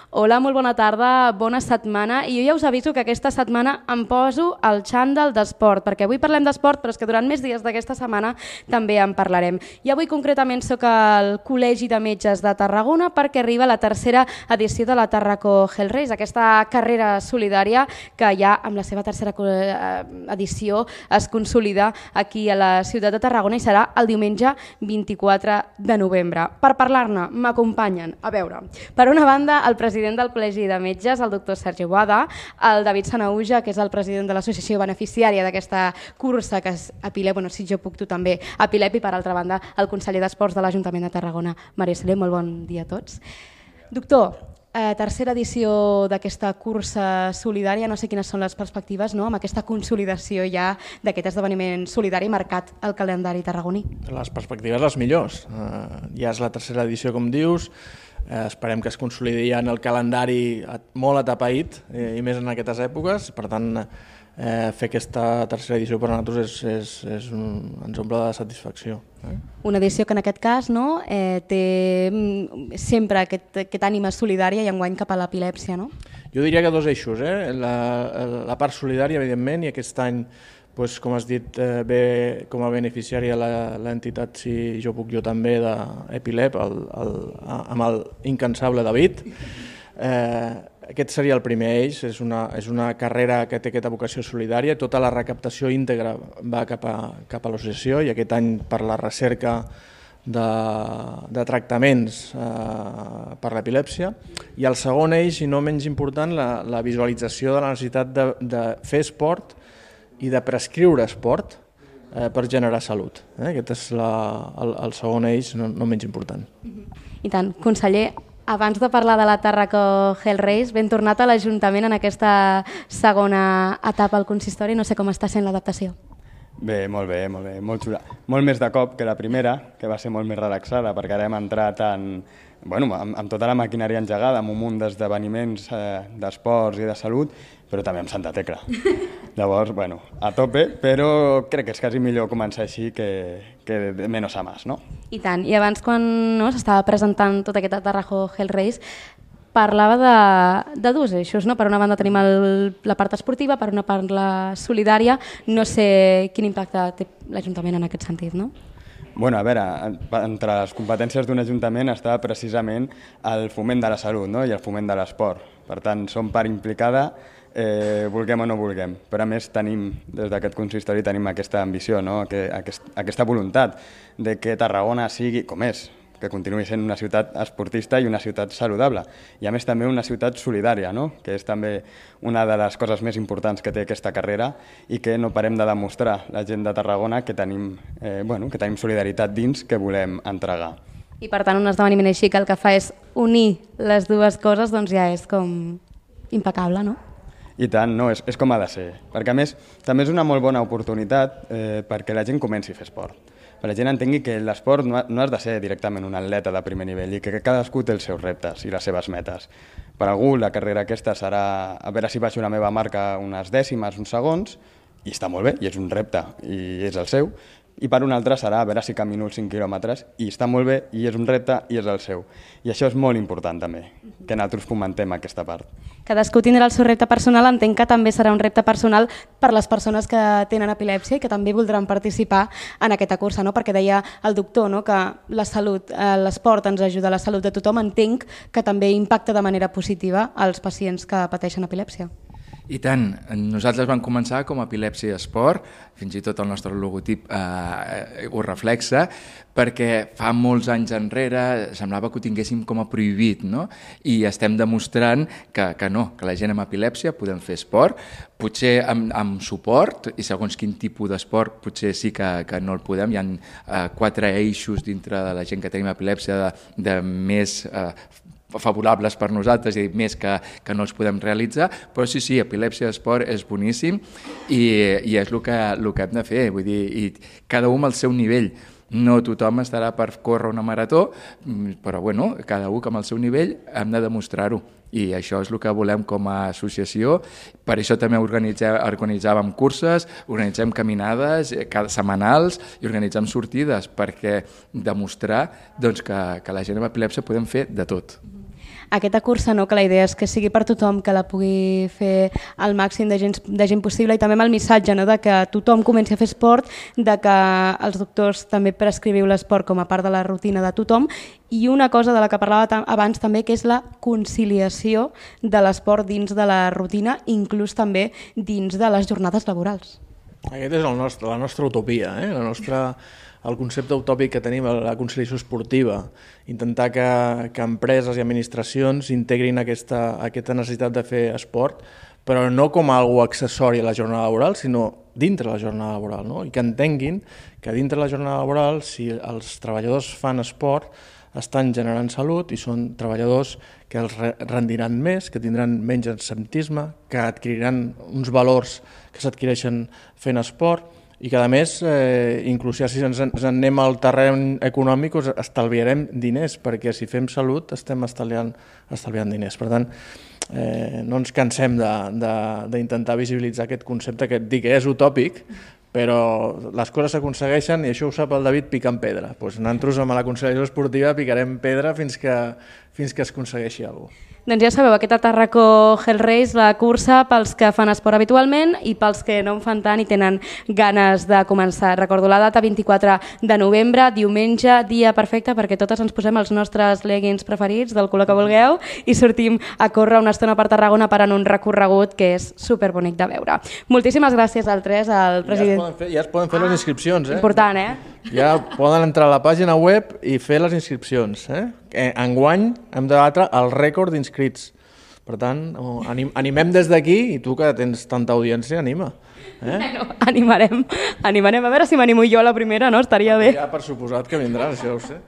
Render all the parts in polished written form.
Hola, molt bona tarda, bona setmana. I jo ja us aviso que aquesta setmana em poso el xandall d'esport, perquè avui parlem d'esport, però és que durant més dies d'aquesta setmana també en parlarem. I avui concretament soc al Col·legi de Metges de Tarragona perquè arriba la tercera edició de la Tarraco Health Race, aquesta carrera solidària que ja amb la seva tercera edició es consolida aquí a la ciutat de Tarragona i serà el diumenge 24 de novembre. Per parlar-ne m'acompanyen, a veure, per una banda el president del Col·legi de Metges, el doctor Sergi Boada, el David Sanauja, que és el president de l'associació beneficiària d'aquesta cursa, que és Epilep, bueno, si jo puc tu també, Epilep, i per altra banda el conseller d'Esports de l'Ajuntament de Tarragona, Maria Soler. Molt bon dia a tots. Doctor, tercera edició d'aquesta cursa solidària, no sé quines són les perspectives, no?, amb aquesta consolidació ja d'aquest esdeveniment solidari marcat al calendari tarragoní. Les perspectives les millors. Ja és la tercera edició, com dius, esperem que es consolidi ja en el calendari molt atapeït, i més en aquestes èpoques. Per tant, fer aquesta tercera edició per a nosaltres ens omple de satisfacció. Una edició que en aquest cas té sempre aquest ànima solidària i enguany cap a l'epilèpsia, no? Jo diria que dos eixos, la part solidària, evidentment, i aquest any, com has dit, ve com a beneficiària l'entitat, si jo puc, jo també, d'Epilep, amb el incansable David. Aquest seria el primer eix, és una carrera que té aquesta vocació solidària, tota la recaptació íntegra va cap a l'associació, i aquest any per la recerca de tractaments per l'epilèpsia. I el segon eix, i no menys important, la visualització de la necessitat de fer esport i de prescriure esport per generar salut. Aquest és el segon eix, no menys important. I tant. Conseller, abans de parlar de la Tarraco Health Race, ben tornat a l'Ajuntament en aquesta segona etapa al consistori. No sé com està sent l'adaptació. Bé, molt xula. Molt més de cop que la primera, que va ser molt més relaxada, perquè ara hem entrat amb tota la maquinària engegada, amb un munt d'esdeveniments d'esports i de salut, però també amb Santa Tecla. Llavors, a tope, però crec que és quasi millor començar així que de menos a más, no? I tant. I abans, quan s'estava presentant tota aquesta Tarraco Health Race, parlava de dos eixos, no? Per una banda tenim la part esportiva, per una part la solidària. No sé quin impacte té l'Ajuntament en aquest sentit, no? A veure, entre les competències d'un ajuntament està precisament el foment de la salut, no?, i el foment de l'esport. Per tant, som part implicada, vulguem o no vulguem. Però a més des d'aquest consistori tenim aquesta ambició, no?, aquesta voluntat de que Tarragona sigui com és, que continuï sent una ciutat esportista i una ciutat saludable. I a més també una ciutat solidària, no?, que és també una de les coses més importants que té aquesta carrera i que no parem de demostrar la gent de Tarragona que tenim solidaritat dins que volem entregar. I per tant un esdeveniment així que el que fa és unir les dues coses, doncs ja és com impecable, no? I tant, no, és com ha de ser. Perquè a més també és una molt bona oportunitat perquè la gent comenci a fer esport. Que la gent entengui que l'esport no has de ser directament un atleta de primer nivell i que cadascú té els seus reptes i les seves metes. Per algú la carrera aquesta serà a veure si baixo la meva marca unes dècimes, uns segons, i està molt bé, i és un repte, i és el seu. I per un altre serà a veure si camino els 5 quilòmetres, i està molt bé, i és un repte, i és el seu. I això és molt important també, que nosaltres fomentem aquesta part. Cadascú tindrà el seu repte personal, entenc que també serà un repte personal per les persones que tenen epilèpsia i que també voldran participar en aquesta cursa, no? Perquè deia el doctor, no?, que la salut, l'esport ens ajuda a la salut de tothom, entenc que també impacta de manera positiva als pacients que pateixen epilèpsia. I tant, nosaltres vam començar com a Epilèpsia Esport, fins i tot el nostre logotip ho reflexa, perquè fa molts anys enrere semblava que ho tinguéssim com a prohibit, no? I estem demostrant que no, que la gent amb epilèpsia podem fer esport, potser amb suport, i segons quin tipus d'esport potser sí que no el podem. Hi ha 4 eixos dintre de la gent que tenim epilèpsia de més favorables per nosaltres, és a dir, més que no els podem realitzar, però sí, epilèpsia esport és boníssim i és el que hem de fer, vull dir, i cada un al seu nivell. No tothom estarà per córrer una marató, però bueno, cada un amb el seu nivell hem de demostrar-ho. I això és el que volem com a associació. Per això també organitzàvem curses, organitzem caminades setmanals i organitzem sortides perquè demostrar que la gent amb epilèpsia podem fer de tot. Aquesta cursa, no, que la idea és que sigui per tothom, que la pugui fer el màxim de gent possible, i també amb el missatge, no, de que tothom comenci a fer esport, de que els doctors també prescriviu l'esport com a part de la rutina de tothom, i una cosa de la que parlava abans també, que és la conciliació de l'esport dins de la rutina, inclús també dins de les jornades laborals. Aquest és la nostra utopia, el concepte utòpic que tenim, la conciliació esportiva, intentar que empreses i administracions integrin aquesta necessitat de fer esport, però no com a algo accessori a la jornada laboral, sinó dintre la jornada laboral, no? I que entenguin que dintre la jornada laboral, si els treballadors fan esport, estan generant salut i són treballadors que els rendiran més, que tindran menys absentisme, que adquiriran uns valors que s'adquireixen fent esport, i que a més, inclús si ens anem al terreny econòmic, estalviarem diners, perquè si fem salut estem estalviant diners. Per tant, no ens cansem d'intentar visibilitzar aquest concepte que dic que és utòpic, però les coses s'aconsegueixen, i això ho sap el David picant pedra. Doncs nosaltres amb la conciliació esportiva picarem pedra fins que es aconsegueixi alguna cosa. Doncs ja sabeu, aquesta Tàrraco Hell Race, la cursa pels que fan esport habitualment i pels que no en fan tant i tenen ganes de començar. Recordo la data, 24 de novembre, diumenge, dia perfecte perquè totes ens posem els nostres leggings preferits del color que vulgueu i sortim a córrer una estona per Tarragona per en un recorregut que és superbonic de veure. Moltíssimes gràcies al tres, al president. Ja es poden fer les inscripcions. Important, Ja poden entrar a la pàgina web i fer les inscripcions. Enguany hem de batre el rècord d'inscrits. Per tant, animem des d'aquí, i tu que tens tanta audiència, anima. Animarem. A veure si m'animo jo a la primera, no? Estaria bé. Ja per suposat que vindràs, això ho sé.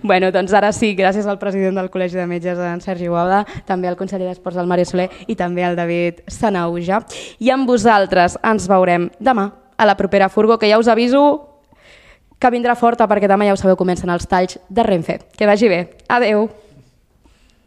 Bueno, doncs ara sí, gràcies al president del Col·legi de Metges, en Sergi Guauda, també al conseller d'Esports, el Mario Soler, i també al David Sanauja. I amb vosaltres ens veurem demà a la propera furgó, que ja us aviso que vindrà forta perquè demà ja ho sabeu, comencen els talls de Renfe. Que vagi bé. Adeu.